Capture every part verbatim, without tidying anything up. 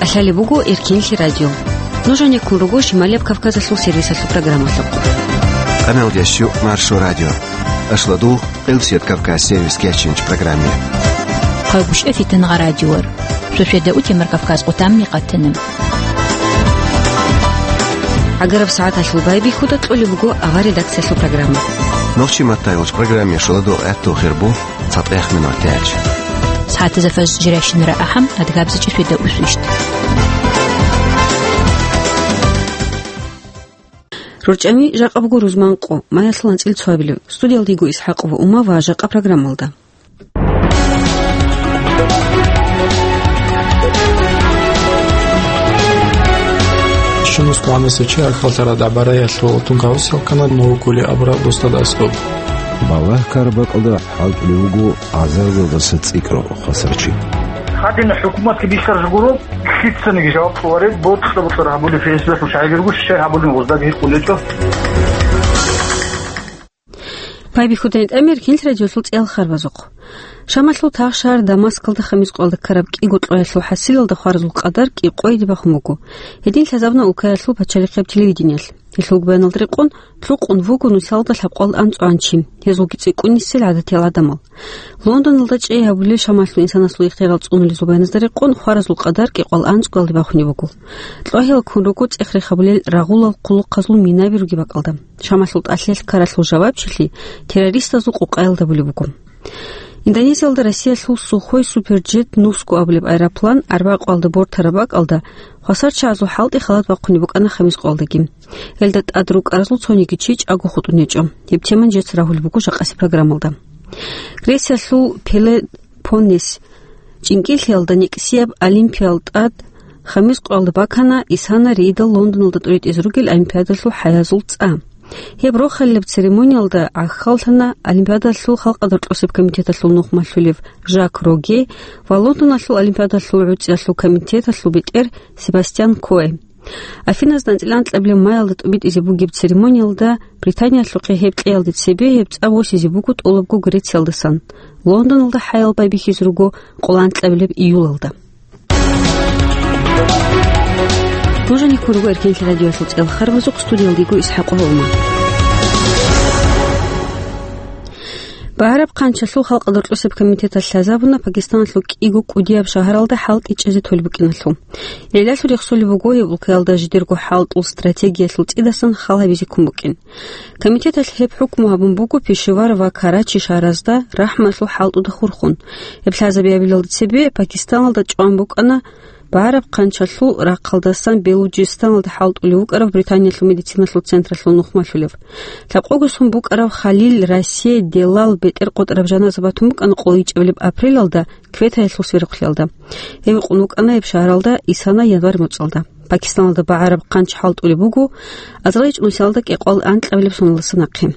Лъалеб буго Эркенлъи радио. Нуж гьанеккун руго Шималияб Кавказалъул сервисалъул программалъухъ. Къаналдящу Маршо радио. Ашладул Къилсият Кавказ сервис кечинч программе. Хъагушев Фитангъа радиор. Шошеда утемар Кавказ къутамни къатана. ГӀагараб сагӀаталъул байбихьуда кьолеб буго авар редакциялъул программа. Нохчи маттайолч программе шуладул гӀатту хирбу. ЦатӀех минутач. СагӀатазда фажр жирашинара ахӀам, адгабзачи шведа усвищ. РорчӀами жакъа буго рузман къо, маялъул анцӀил цоабилев. Студиялда йиго ИсхӀакъова Ума ва жакъа программалда. Щунус кванаса чи ахаллъара дабараялъул тункаусел кана новукули абра бустад аскоб. Балагь карабакьалда хӀалтӀулев вуго азарвелдаса цӀикӀкӀарав хвасарчи. Гьадин хӀукуматги бихьараб гуро, лъицаниги жаваб кьолареб, бокьа-бокьара гьабулеб фейсбуклъун щайгургу, щай гьабулеб гъоздаги гьикъулечӀо. Байбихьудайин тӀамир кинл радиолъул цӀел харбазухъ. Шамалъул тагъ шагьар Дамаскалда хамис къоялда ккараб кӀиго кьоялъул хӀасилалда хваразул къадар кӀикъоялде бахун буго. Гьедин лъазабуна улкаялъул пачалихъияб телевидениялъ. Гьелъул баяналда рекъон, лъукъун вуго нусалда лъабкъоялда анцӀгоян чи, гьезулги цӀикӀкӀунисел гӀадатиял гӀадамал. Лондоналда чӀей гьабулел Шамалъул инсанасул ихтияр цӀунулезул баяназда рекъон, хваразул къадар кӀикъоялда анцӀгоялде бахунеб буго. КьогӀиялда ккун руго цӀех-рех гьабулел рагъулал хъулухъазул минаби ругеб бакӀалда. Шамалъул тӀалъи-ккаралъул жавабчилъи террористазул къукъаялда гьабулеб буго. Индонезиялда Россиялъул Сухой Суперджет нусго абулеб аэроплан арбакъоялда бортараб бакӀалда хвасарчагӀазул хӀалтӀи халат бахъунеб букӀана хамис къоялдаги. Гьелда тӀад рукӀаразул цониги чи чӀаго хутӀун гьечӀо. Гьеб теман жеца рагьулеб буго жакъасеб программалда. Грециялъул Пелопоннес чӀинкӀиллъиялда некӀсияб олимпиял тӀад хамис къоялда бакана Исана рейдал Лондоналда тӀуритӀизе ругел олимпиадалъул хӀаязул цӀа. Гьеб рохалилеб церемониялда гӀахьаллъана Олимпиадалъул халкъалда рокьосеб комитеталъул нухмалъулев Жак Роге ва Лондоналъул Олимпиадалъул гӀуцӀиялъул комитеталъул бетӀер Себастьян Кое. Афиназда анцӀила анкьабилеб маялда тӀубитӀизе бугеб церемониялда Британиялъухъе гьеб кьеялде цебе гьеб цӀа босизе буго тӀолабго Грециялдасан. Лондоналда хӀаял байбихьизе руго къоло анкьабилеб июлалда. Нуж гьанеккун руго Эркенлъи радиоялъул цӀел харбазухъ, студиялда йиго ИсхӀакъова Ума. БагӀараб хъанчалъул халкъалда рокьосеб комитеталъ лъазабуна Пакистаналъул кӀиго кӀудияб шагьаралда хӀалтӀи чӀезе толеб букӀиналъул. ГӀиллалъул рехсолеб буго гьеб улкаялда жидерго хӀалтӀул стратегиялъул цӀидасан хал гьабизе ккун букӀин. Комитеталъ гьеб хӀукму гьабун буго Пешавар ва Карачи шагьаразда рахӀмалъул хӀалтӀуда хурхун. Гьеб лъазабиабилалде цебе Пакистаналда чӀван букӀана БагӀараб хъанчалъул рахъалдасан Белуджистаналда хӀалтӀулев вукӀарав Британиялъул медициналъул централъул нухмалъулев. Лъабкъого сон букӀарав Халил Рассе Делал бетӀер къотӀараб жаназа батун букӀана къоло ичӀабилеб апрелалда Кветаялъул сверухълъиялда. Гьев вукъун вукӀана гьеб шагьаралда Исана январь моцӀалда. Пакистаналда багӀараб хъанч хӀалтӀулеб буго азарилчӀун нусиялда кӀикъоялда анкьабилеб соналдаса нахъе.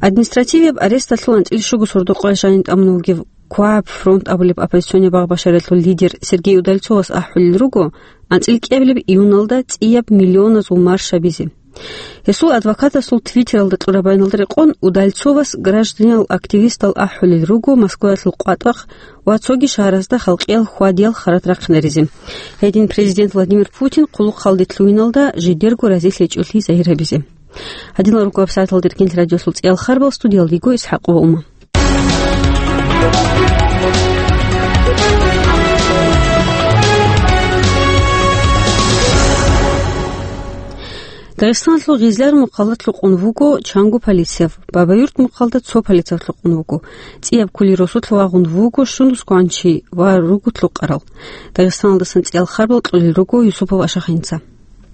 Административияб аресталъул анцӀила щуго сордо-къоялъ жаниб тӀамун вугев КОАП фронт абулеб оппозиционный багъ-башариялъул лидер Сергей Удальцовас ахӀулел руго анцӀила кӀиабилеб июналда цӀияб миллионазул марш гьабизе. Гьесул адвокатасул Твиттералда кьураб баяналда рекъон, Удальцовас гражданиял активистал ахӀулел руго Москваялъул къватӀахъ ва цоги шагьаразда халкъиял хьвадиял харат рахъинаризе. Гьедин Президент Владимир Путин хъулухъалде лъугьиналда жидерго разилъичӀолъи загьир гьабизе. Гьадинал руго гьабсагӀаталда Эркенлъи радиосул цӀиял харбал, студиялда йиго ИсхӀакъова Ума. Дагъистаналъул Гъизлар мухъалда лъукъун вуго чанго полицияб, Бабаюрт мухъалда цо полицияб лъукъун вуго. ЦӀияб кули росулъ вагъун вуго щунус кванчи ва руго лъукъарал. Дагъистаналдасан цӀиял харбал кьолел руго Юсупов Ашахинца.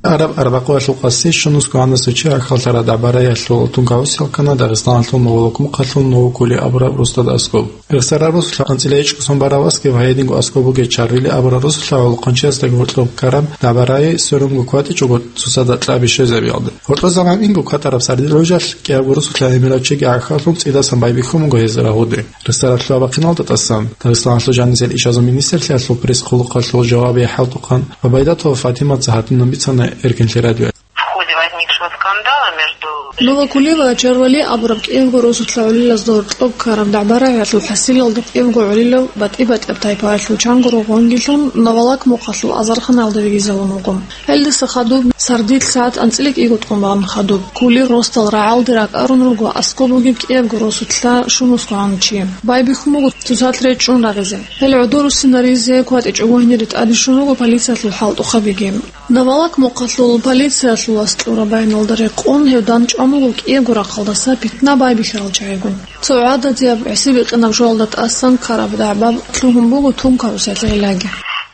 Араб арбакъоялъул къаси щунус кванаса чи ахаллъара дабараялъул тункаусел ккана Дагъистаналъул Новолукмухъалъул Новокули абураб росдада аскӀоб. Рехсараб росулъа анцӀила ичӀго сон бараб аскӀоб гьайдинго аскӀоб бугеб Чарвили абураб росулъа гӀолохъанчиясдаги гьоркьоб ккараб дабарае сверунго кватӀичӀого цоцазда кьаби щвезабиялда. Гьоркьо заман инго кватӀараб сардилъ гьужалъ кӀиябго росулъа гьемирав чиги ахаллъун цӀидасан байбихьун буго гьез рагьуде. Ресторалъул абахъиналда тӀасан Дагъистаналъул жанисел ишазул министрлъиялъул пресс-хъулухъалъул жавабияв хӀалтӀухъан Гъубайдатова Фатиматца гьатӀинаб бицана Эркенлъи радио. В ходе возникшего скандала между Новокулева Чарвали абураб кӀиявго росулъа гӀолилазда гьоркьоб ккараб дагӀба-рагӀиялъул хӀасилалда кӀиявго гӀолилав батӀи-батӀияб тайпаялъул чанго ругъ вангилъун Новолак мухъалъул азарханалда вегизавун вуго. Гьелдаса хадуб сардилъ сагӀат анцӀила кӀиго тӀун бан хадуб, кулер росдал рагӀалде ракӀарун руго аскӀоб бугеб кӀиябго росулъа шумусгӀан чи. Байбихьун буго цоцалъ речӀчӀун рагъизе. Гьел гӀодоруссинаризе кватӀичӀого гьенире тӀаде щун руго полициялъул хӀалтӀухъабиги. Новолак мухъалъул полициялъул вас кьураб баяналда рекъон гьев дандчӀван вуго кӀиябго рахъалдаса питна байбихьарал чагӀигун. Цо гӀададияб гӀиси-бикъинаб жоялда тӀасан ккараб дагӀба лъугьун буго тункарусиялъ гӀиллаги.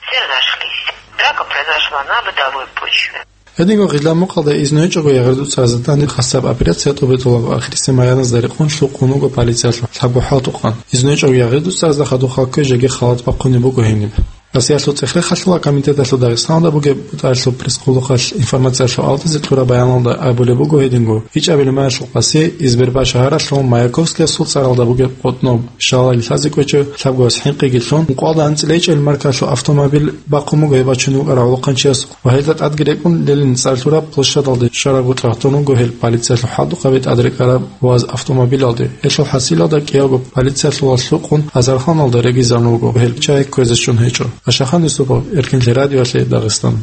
Все разошлись. Драка произошла на бытовой почве. Гьединго гъилла мукъалда изну гьечӀого ягъирдуцарзда данде хасаб операция тӀубитӀулаб ахирисеб баяназда рекъон лъукъун вуго полициялъул лъабго хӀалтӀухъан. Изну гьечӀого ягъирдуцарзда хадуб хал кквей жеги халат бахъунеб буго гьениб. Россиялъул цӀех-рехалъул комитеталъул Дагъистаналда бугеб бутӀаралъул пресс-къулухъалъ информациялъул авлазе кьураб баяналда абулеб буго гьединго: ИчӀабилеб майилъул къаси Избербаш шагьаралъул Маяковскиясул цӀаралда бугеб къотӀноб, щалалил лъазе кӀвечӀев лъабго вас хӀинкъиги лъун, ункъоялда анцӀила ичӀабилеб маркалъул автомобиль бахъун буго гьеб бачунеб букӀарав гӀолохъанчиясухъ ва гьелда тӀадги рекӀун Ленин цӀар лъураб площадалде щварабго чӀватун вуго гьел полициялъул хӀалтӀухъаби тӀад рекӀараб вас автомобилалде. Гьелъул хӀасилалда кӀиявго полициялъул вас лъукъун азарханалда регизарун вуго, гьел чагӀи кквезе щун гьечӀо. Ашахан Юсупов, Эркенлъи радиоялъе, Дагъистан.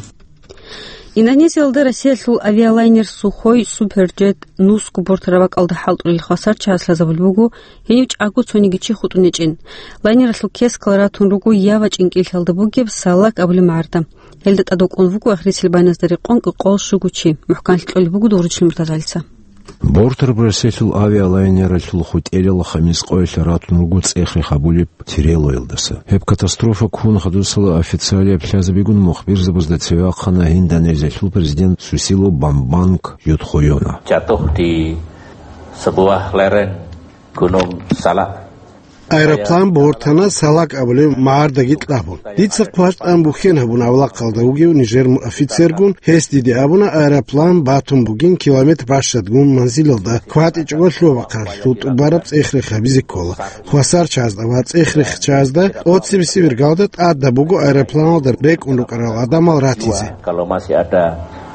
Индонезиялда Россиялъул авиалайнер Сухой Суперджет нусго бортараб бакӀалда хӀалтӀулел хвасар чагӀаз лъазабулеб буго, гьенив чӀаго цониги чи хутӀун гьечӀин. Лайнералъул кескал ратун руго Ява чӀинкӀиллъалда бугеб Салак абулеб магӀарда. Гьелда тӀадвукӀун вуго ахирисел баяназда рекъон кӀикъоялда щуго чи. МухӀканлъи кьолеб буго Дугъричлъи Муртазалица. Бортараб Россиялъул авиалайнералъул хутӀерал хамис къоялъ ратун руго цӀех-рех гьабулеб Тирелоялдаса. Гьеб катастрофа ккун хадусала официалияб лъазабигун мухбирзабазда цеве вахъана Индонезиялъул президент Сусило Бамбанг Юдхойона. Jatuh di sebuah lereng Gunung Salak. Аэроплан бортана Салак абулеб магӀардаги кьабун. Дица хъваш тӀан бухьен гьабун авлахъалда вугев нижер офицергун, гьес диде абуна, аэроплан батун бугин километр бащадгун манзилалда, кватӀичӀого лъугьа-бахъалъул тӀубараб цӀех-рех гьабизе ккола. Хвасар чагӀазда ва цӀех-рех чагӀазда тӀоцебесеб иргалда тӀадаб буго аэропланалда рекӀун рукӀарал гӀадамал ратизе. Kalau masih ada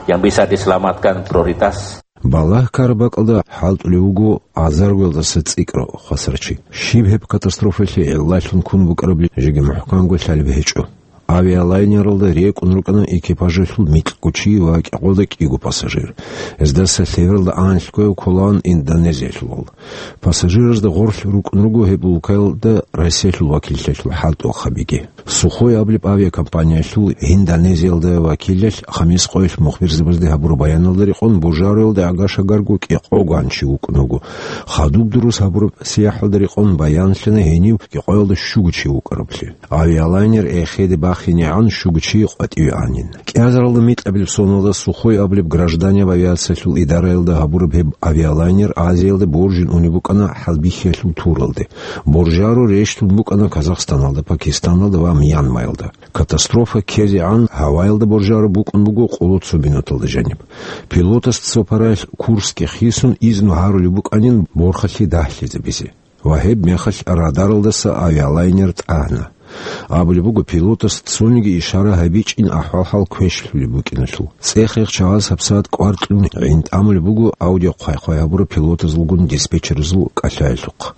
yang bisa diselamatkan, prioritas. Балагь ккараб бакӀалда хӀалтӀулев вуго азаргоялдаса цӀикӀкӀарав хвасар чи. Щиб гьеб катастрофаялъе гӀиллалъун ккун букӀараблъи жеги мухӀканго лъалеб гьечӀо. Авиалайнералда рекӀун рукӀана экипажалъул микьго чи ва кӀикъоялда кӀиго пассажир. Гьездаса лъебералда анлъго кколаан Индонезиялъулал. Пассажиразда гъорлъ рукӀун руго гьеб улкаялда Россиялъул вакиллъиялъул хӀалтӀухъабиги. Сухой абулеб авиакомпаниялъул Индонезиялда вакиллъиялъ хамис къоялъ мухбирзабазде гьабураб баяналда рекъон, Божароялда гӀага-шагарго кӀикъогоан чи вукӀун вуго. Хадуб дурус гьабураб сияхӀалда рекъон баянлъана гьенив кӀикъоялда щуго чи вукӀараблъи. Авиалайнер эхеде бахинегӀан щуго чи къватӀиве анин. КӀиазаралда микьабилеб соналда Сухой абулеб гражданиял авиациялъул идараялда гьабураб гьеб авиалайнер Азиялда боржин унеб букӀана хӀалбихьиялъул туралде. Божаро рещтӀун букӀана Казахстаналда, Пакистаналда ва Мьянмаялда. Катастрофа ккезегӀан гьаваялда Божаро букӀун буго къоло цо минуталда жаниб. Пилотас цо параялъ Курске хисун изну гьарулеб букӀанин борхалъе дагьлъизабизе. Ва гьеб мехалъ радаралдаса авиалайнер тӀагьана. Абулеб буго, пилотас цониги ишара гьабичӀин ахӀвал-хӀал квешлъулеб букӀиналъул. ЦӀех-рех чагӀаз гьабсагӀат кӀвар кьун гӀинтӀамулеб буго аудиохъвай-хъвай гьабураб пилотазулгун диспетчерзул кӀалъаялъухъ.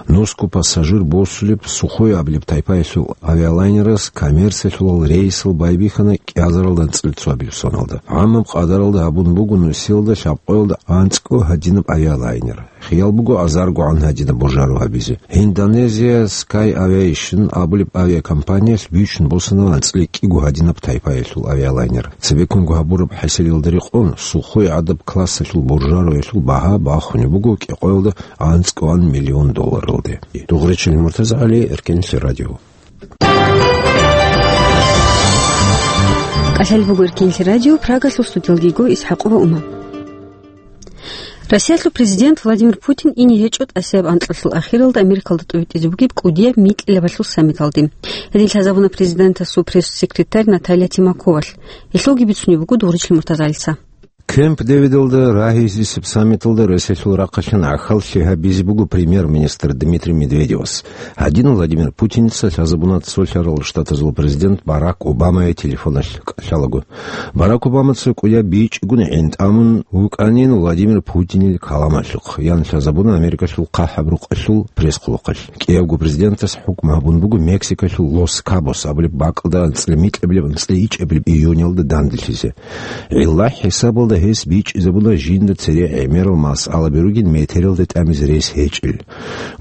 Нусго пассажир босулеб Сухой абулеб тайпаялъул авиалайнерас коммерциялъулал рейсал байбихьана кӀиазаралда анцӀила цоабилеб соналда. ГӀамаб къадаралда гьабун буго нусиялда лъабкъоялда анцӀго гьадинаб авиалайнер. Хиял буго азаргогӀан гьадинаб божаро гьабизе. Индонезия Sky Aviation абулеб авиакомпаниялъ бичун босана анцӀила кӀиго гьадинаб тайпаялъул авиалайнер. Цебеккунго гьабураб хӀисабалда рекъон, Сухой гӀадаб классалъул божароялъул багьа бахунеб буго кӀикъоялда анцӀгоан миллион долларалде. Дугъричил МуртазагӀали, Эркенлъи радио. КӀалъал буго Эркенлъи радио, Прагалъул студиялги го Исхьакъова Ума. Россиялъул президент Владимир Путин ине гьечӀо тӀасияб анкьалъул ахиралда Америкалда тӀовитӀизе бугеб кӀудияб микьилабалъул саммиталде. Гьедин лъазабуна президентасул пресс-секретарь Наталья Тимаковалъ. Гьелъулги бицунеб буго Дугъричил Муртазалица. Кемп-Дэвидалда рагьизесеб саммиталда Россиялъул рахъалъан гӀахьаллъи гьабизе буго премьер-министр Дмитрий Медведевас. Гьадин Владимир Путинца лъазабуна Цолъарал Штатазул президент Барак Обамае телефоналъ кӀалъалаго. Барак Обамаца кӀудияб бичӀчӀигун гӀин тӀамун вукӀанин Владимир Путинил каламалъухъ, ян лъазабуна Америкалъул хъахӀаб рукъалъул пресс-хъулухъалъ. КӀиявго президентас хӀукму гьабун буго Мексикалъул Лос-Кабос абулеб бакӀалда анцӀила микьабилеб анцӀила ичӀабилеб июнялда данделъизе. ГӀилла хӀисабалда гьес бичӀчӀизабуна жинда цере гӀемерал масъалаби ругин метералда тӀамизе рес гьечӀел.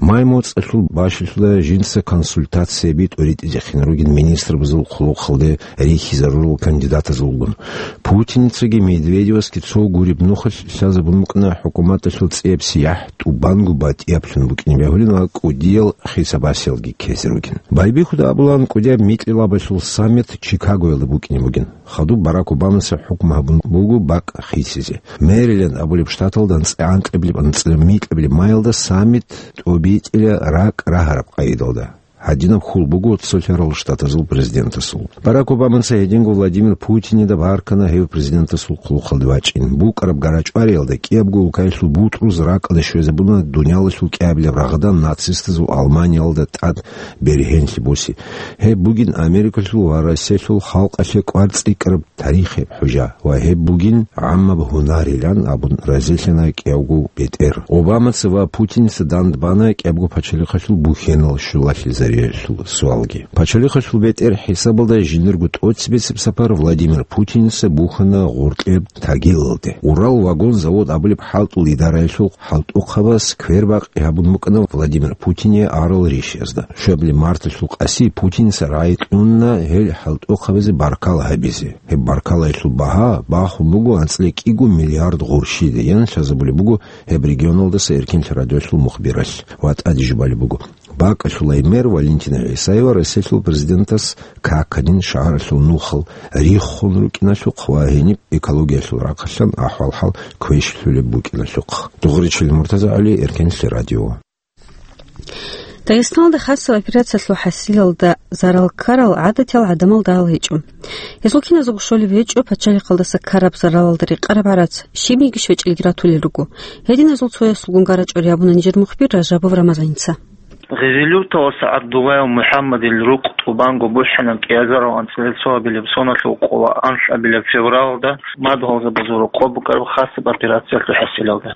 Май моцӀалъул бащалъуда жинца консультацияби тӀуритӀизехъин ругин министрбазул хъулухъалде рихьизарурал кандидатазулгун. Путинцаги Медведевасги цо гуреб нухалъ лъазабун букӀана хӀукуматалъул цӀияб сияхӀ тӀубанго батӀияблъун букӀине бегьулин ва кӀудиял хисабасиялги ккезе ругин. Байбихьуда абулан, кӀудияб микьилабалъул саммит Чикагоялда букӀине бугин. Хадуб Барак Обамаса хӀукму гьабун буго бакӀ хисизе. Мэриленд абулеб штаталда анцӀила анкьабилеб анцӀила микьабилеб маялда саммит тӀобитӀила ракӀ рагьараб къайдалда. Гьадинаб хьул буго Цолъарал Штатазул президентасул. Барак Обамаца гьединго Владимир Путинида баркана гьев президентасул хъулухъалде вачӀин. БукӀараб гарачӀвариялда кӀиябго улкаялъул бутӀруз ракӀалде щвезабуна дуниялалъул кӀиабилеб рагъдан нацистазул Алманиялда тӀад бергьенлъи буси. Гьеб бугин Америкалъул ва Россиялъул халкъалъе кӀвар цӀикӀкӀараб тарихияб хӀужа ва гьеб бугин гӀаммаб гьунарилан абун разилъана кӀиявго бетӀер. Обамаца ва Путинца дандбана кӀиябго пачалихъалъул бухьенал щулалъизариялъул суалги. Пачалихъалъул бетӀер хӀисабалда жиндирго тӀоцебесеб сапар Владимир Путинца бухьана гъоркьеб Тагилалде. Урал вагон завод абулеб хӀалтӀул идараялъул хӀалтӀухъабаз квербакъи гьабун букӀана Владимир Путине арал ришиязда. Щвабилеб марталъул къаси Путинца рагӀи кьуна гьел хӀалтӀухъабазе баркала гьабизе. Гьеб баркалаялъул багьа бахун буго анцӀила кӀиго миллиард гъурщиде, ян лъазабулеб буго гьеб регионалдаса Эркенлъи радиоялъул мухбиралъ ва тӀаде жубалеб буго. БакӀалъулай мэр Валентина ГӀисаева Россиялъул президентас каканин шагьаралъул нухал риххун рукӀиналъухъ ва гьениб экологиялъул рахъалъан ахӀвал-хӀал квешлъулеб букӀиналъухъ. Дугъричил Муртазагьали, Эркенлъи радио. Дагъистаналда хасаб операциялъул хӀасилалда зарал ккарал гӀадатиял гӀадамал дагьал гьечӀо. Гьезул киназего щолеб гьечӀо пачалихъалдаса ккараб заралалда рекъараб гӀарац, щибниги щвечӀелги ратулел руго. Гьединазул цоясулгун гарачӀори гьабуна нижер мухбир Ражабов Рамазаница. Гъизилюрталаса ГӀабдуллаев МухӀаммадил рукъ тӀубанго бухӀана кӀиазарал анцӀила цоабилеб соналъул къола анлъабилеб февралда мадгьалзабазул рокъоб букӀараб хасаб операциялъул хӀасилалда.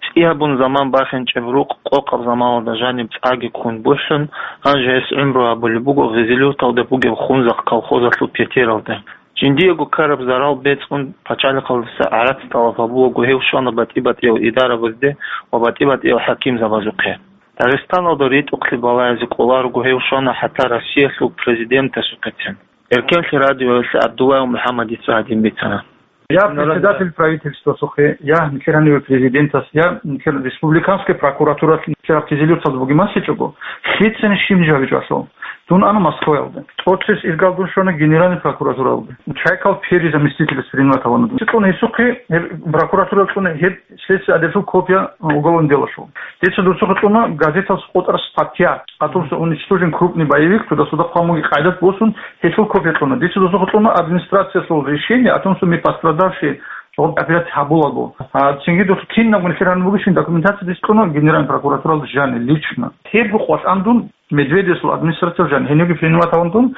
ЦӀи гьабун заман бахинчӀеб рукъ къокъаб заманалда жаниб цӀаги ккун бухӀун, гьанже гьес гӀумру гьабулеб буго Гъизилюрталда бугеб Хунзахъ колхозалъул петералда. Жиндиего ккараб зарал бецӀун пачалихъалдаса гӀарац тӀалаб гьабулаго гьев щвана батӀи-батӀиял идарабазде ва батӀи-батӀиял хӀакимзабазухъе. Дагъистаналда ритӀухълъи балагьизе кӀоларого гьев щвана хӀатта Россиялъул президентасухъецин. Эркенлъи радиоялъе ГӀабдуллаев МухӀаммадица гьадин бицана. Я председатель правительствасухъе, я нилъер гьаниве президентас, я нилъер республиканская прокуратуралъ нилъер Гъизилюрталда бугеб малъичӀого, лъицани щиб жавичӀалъул. Дун ана Москваялде. ТӀоцес иргал дун щвана Генеральный прокуратуралде. Чайкал первый заместитель принимать гьавана дун. Цикьун гьесухъе гьеб прокуратурал цӀуна гьеб следствие адерсул копия уголовный делалъул. Дица досухъе цӀуна газеталъ къотӀар статья, о том, что уничтожен крупный боевик, туда-сюда хъван бугеб къайдат босун, гьелъул копия цӀуна. Дица досухъе цӀуна администрациялъул решение о том, что мы пострадавшие, жаваб операция гьабулаго. А цинги досу кинаб нилъер гьаниб бугебщин документация дис цӀуна Генеральный прокуратуралда жани лично. Гьеб къватӀан дун Медведевсул администрация жан гьениги принимать гьавун дун,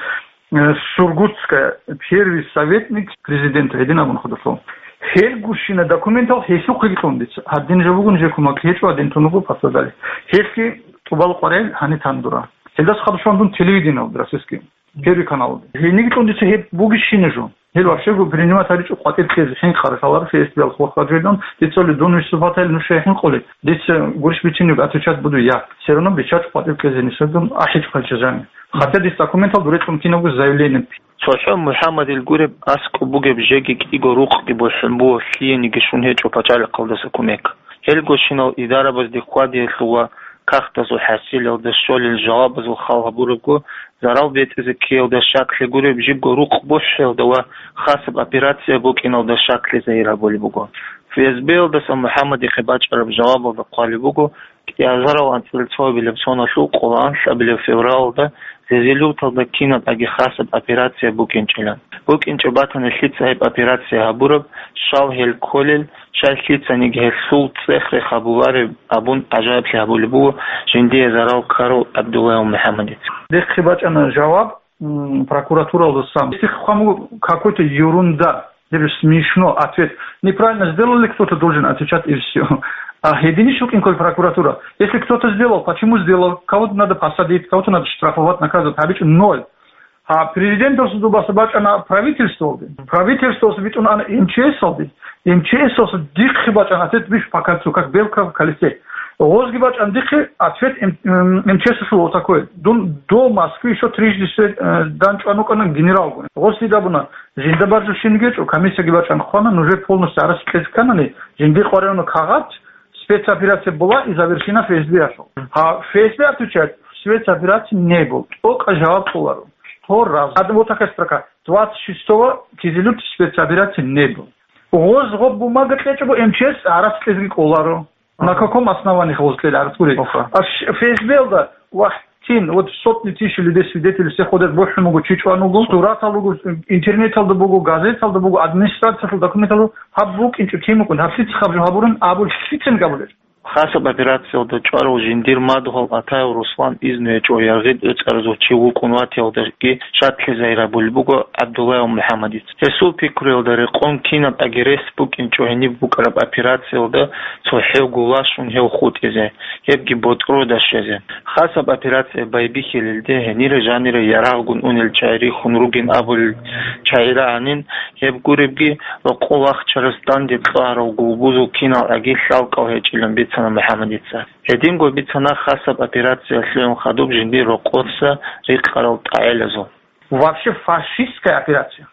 э, Сургутская, первый советник президента, гьедин абун хадурлъун. Гьел гурщина документал гьелъухъе кьун дица. Гьадин жо бугун, жекумак гьечӀо, гьадин тунуго пасадали. Гьелъги тӀубал къварел гьани тандура. Гьелдас хадушлъун дун телевидениялда российский, первый канал. Гьениги кьун дица гьеб бугищина жо. Гьел вообще принимать гьаричӀо къватӀир кьезе, хӀинкъарал лъаларо фестивал хвахъа жойдан, дица ли дун виступатайил нуша хӀинкъулел. Дица гурищ бицинеги отвечать буду я. Все равно бичачӀо къватӀир кьезе нисадун ахӀичӀо хъалчазани. Хотя дис документал дуретлъун кинабго заявление. ЦохӀо МухӀаммадил гуреб аскӀоб бугеб жеги кӀиго рукъги бухӀун буго лъиениги щун гьечӀо пачалихъалдаса кумек. Гьелгощинал идарабазде хьвадиялъул ва кагътазул хӀасилалда щолел жавабазул хал гьабурабго, зарал бетӀизе ккеялда щаклъи гуреб жибго рукъ бухӀиялда ва хасаб операция букӀиналда щаклъи загьир гьабулеб буго. ФСБ-ялдаса МухӀаммадихъе бачӀараб жавабалда хъвалеб буго, кӀиазарал анцӀила цоабилеб соналъул къоло анлъабилеб февралалда Гъизилюрталда кинаб аги хасаб операция букӀинчӀила. БукӀинчӀеб батани лъица гьеб операция гьабураб, щал гьел кколел, щай лъицаниги гьелъул цӀех-рех гьабулареб абун гӀажаиблъи гьабулеб буго жиндие зарал ккарав ГӀабдуллаев МухӀаммадица. Дихъе бачӀана жаваб, м, прокуратуралдасан. Если хъван буго какой-то ерунда, либо смешно ответ. Неправильно сделали, кто-то должен отвечать, и всё. А гьединищ вукӀин ккола прокуратура? Если кто-то сделал, почему сделал? Кого-то надо посадить, кого-то надо штрафовать, наказывать. ГьабичӀо ноль. А президенталъул дубаса бачӀана правительствалде. Правительствалъ битӀун ана М Ч С-алде. М Ч С-алъ дихъе бачӀана ответ, видишь, по кольцу, как белка в колесе. Гъозги бачӀана дихъе ответ М-, М Ч С-алъул вот такой. Дун до Москвы ещё трижды све-, э, данчӀван вукӀана генералгун. Гъоз лъидабуна, жинда баржу щинги гьечӀо, комиссияги бачӀана хъвана, нужер полностью гӀарац кьезе кканани, жинди къваригӀуна кагъат, спецоперация была и завершена Ф С Б-алъул. А Ф С Б отвечает, спецоперации не было. ТӀокӀаб жаваб кьоларо. Сто раз. Гьадин вот такая строка. Двадцать шестого Кизилюрте спецоперации не было. Гъоз гъоб бумага кьечӀого М Ч С гӀарац кьезеги кӀоларо. На каком основании гъоз кьела гӀарац гури? Оха. А Ф С Б-алда вахтин, вот сотни тысяч людей, свидетели, все ходят, бухӀун буго, чи чӀван вуго, суратал руго, интернеталда буго, газеталда буго, администрациялъул документалда, гьаб букӀинчӀо кин букӀун, гьаб лъица хабжу гьабурин абулеб, лъицин абулеб? Хасаб операциялда чӀварав жиндир мадугьал Атаев Руслан изну гьечӀо яргъи тӀоцӀаразул чи вукӀун ватиялдаги шатлъи загьир гьабулеб буго ГӀабдуллаев МухӀаммадица. Гьесул пикруялда рекъон кинаб аги рес букӀинчӀо гьениб букӀараб операциялда цохӀевго лашун гьев хутӀизе, гьебги ботӀрода щвезе. Хасаб операция байбихьилелде гьенире жанире ярагъгун унел чагӀи рихьун ругин абулел чагӀи рагӀанин, гьеб гуребги, рокъов вахчарас данде кьарав гулбузул кинал аги лъалкӀал гьечӀилан бицана МухӀаммадица. Гьединго бицана хасаб операция лъугӀун хадуб жиндир рокъоса рикъарал тӀагӀелазул. Вообще фашистская операция.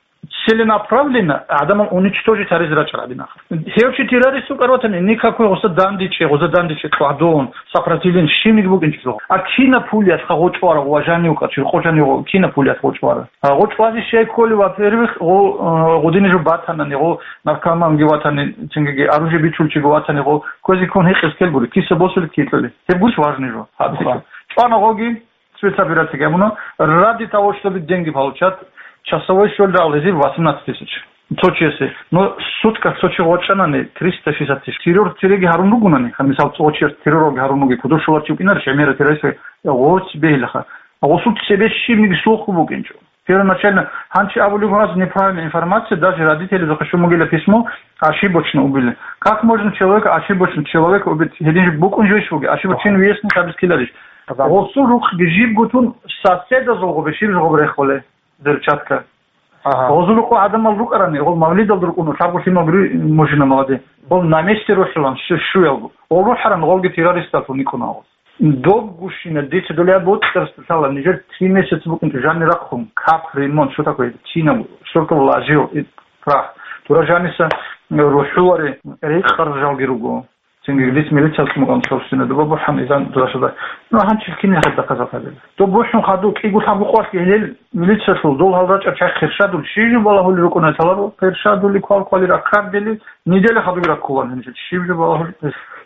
Целенаправленно гӀадамал уничтожить гьаризе рачӀарабин ахир. Гьев чи террорист вукӀар ватани, никакой гъоса дандечӀей, гъоса дандечӀей, кьвадон, сопротивление, щибниги букӀинчӀо. А кина пулиялъха гъочӀ варагъ ва жанив качир, къо жанив гъо-, кина пулиялъ гъочӀ вара? А гъочӀ вазе щай кколи, во-первых, гъо-, э, гъудини жо батанани, гъо наркоманги ватани, цингиги оружие бичулчиги ватани, гъо квезе ккун гьекъез ккел гури, киса босулеб кикьули. Гьеб гуш важный жо. Гьаб Аха. ЧӀвана гъоги, спецоперация гьабуна, ради того, чтобы деньги получать, часовой щолда гьезиб восемнадцать тысяч. Цо чиясе. Но суткалъ цо чи гъочӀанани триста шестьдесят тысяч. Террор цереги гьарун ругунани, гьаниб мисал цо чияс террорги гьарун руги, кудур щоларчи вукӀинар, шемера террорист гъоц бегьилаха. Гъосул цебе щибниги сулхъу букӀинчӀо. Первоначально, гьанчи абулеб гьаз неправильная информация, даже родителезухъе щун бугила письмо, ошибочно убили. Как можно человека, ошибочно человека убить? Гьедин жо букӀун жойищ буги, ошибочен виясни хабис ккеларищ? Гъосул рукъги жиб гутун соседазул гъобе, щиб жо гъоб рехуле, взрывчатка. Ага. Гъозул рукъу гӀадамал рукӀарани, гъол мавлидал рукӀуна, лъабго лъимал гури мужина малади. Гъол на месте рухӀилан, щу-, щуялгу. Гъол рухӀаран, гъолги террористалъул никӀуна гъоз. Добгущина дица долеб бутӀарсда лъала, нижер три месяца букӀинчӀо жанни рахъун, кап, ремонт, что такое? Тина, что такое вложил, и прах. Дура жаниса рухӀулари, рекъарзалги руго. Цинги дица милицияс мукъан собственно дуба бухӀан изан дурашада. Ну, гьанчил кин хӀед дахъазал хадил. Доб бухӀун хаду кӀиго лъабго къвалъ гьелел милициялъул дол гьал рачӀа чай хершадул, шижу балагьули рукӀуна талабу, хершадули квал-квали раккардели, неделя хадуги раккулан гьанчил. Шижу балагьули.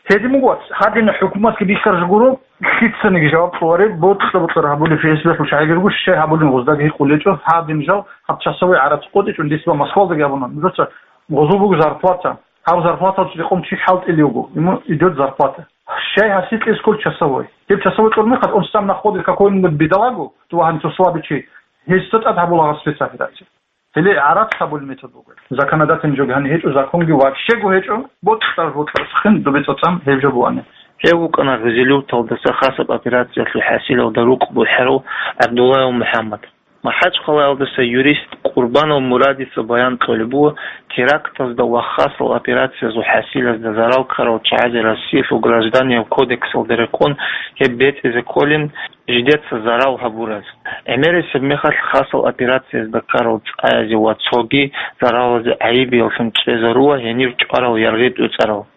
Гьедин буго, гьадин хӀукуматги бихьаржа гуро, лъицаниги жаваб кьоларе, бокьа-бокьара гьабули Ф С Б-лъул шагьаргу, щай гьабулин гъоздаги гьикъулечӀо, гьадин жал, гьаб часовой гӀарац къотӀичӀун дисба Москвалдаги абуна. Нужеца гъозул буго зарплата. Гьав зарплаталъ рекъон чи хӀалтӀили вуго, ему идет зарплата. Щай гьасикье сколько часовой? Гьеб часовой кьурмехъад, он сам находит какой-нибудь бедолагу, ту гьанив цо слабый чи, гьесда тӀад гьабула гьаб спецоперация. Гьеле гӀарац гьабулеб метод буго. Законодательный жо гьаниб гьечӀо, законги вообще-го гьечӀо, бокьар-бокьарасухъин дубе цӀацӀан гьеб жо буани. Гьев вукӀана Гъизилюрталдаса хасаб операциялъул хӀасилалда рукъ бухӀарав ГӀабдуллаев МухӀаммад. МахӀачхъалаялдаса юрист Къурбанов Мурадица баян кьолеб буго, терактазда ва хасал операциязул хӀасилазда зарал ккарал чагӀазе Россиялъул гражданияб кодексалда рекъон гьеб бецӀизе кколин жидеца зарал гьабураз. ГӀемерисеб мехалъ хасал операциязда ккарал цӀаязе ва цоги заралазе гӀайибияллъун чӀезарула гьенир чӀварал яргъи тӀуцӀарал.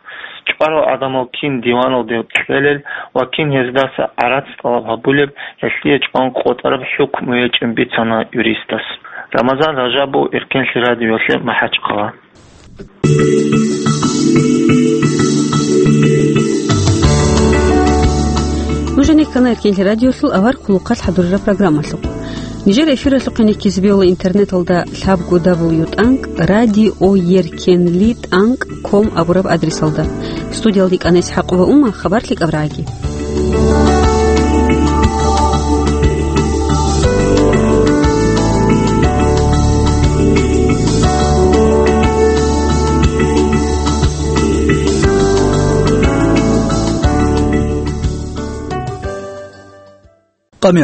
ЧӀварал гӀадамал кин диваналде кьелел ва кин гьездаса гӀарац тӀалаб гьабулеб, гьелъие чӀван къотӀараб хӀукму гьечӀин бицана юристас. Рамазан Ражабов, Эркенлъи радиоялъе, МахӀачхъала. Нужеца ккана Эркенлъи радиолъул авар хъулухъалъ хӀадурараб программалъухъ. Нижер эфиралъухъе ккезабиула интернеталда лъабго дабл ю тӀанкӀ радиоеркенли тӀанкӀ ком абураб адресалда. Студиялда ккана ИсхӀакъова Ума, хабар лъикӀаб рагӀаги.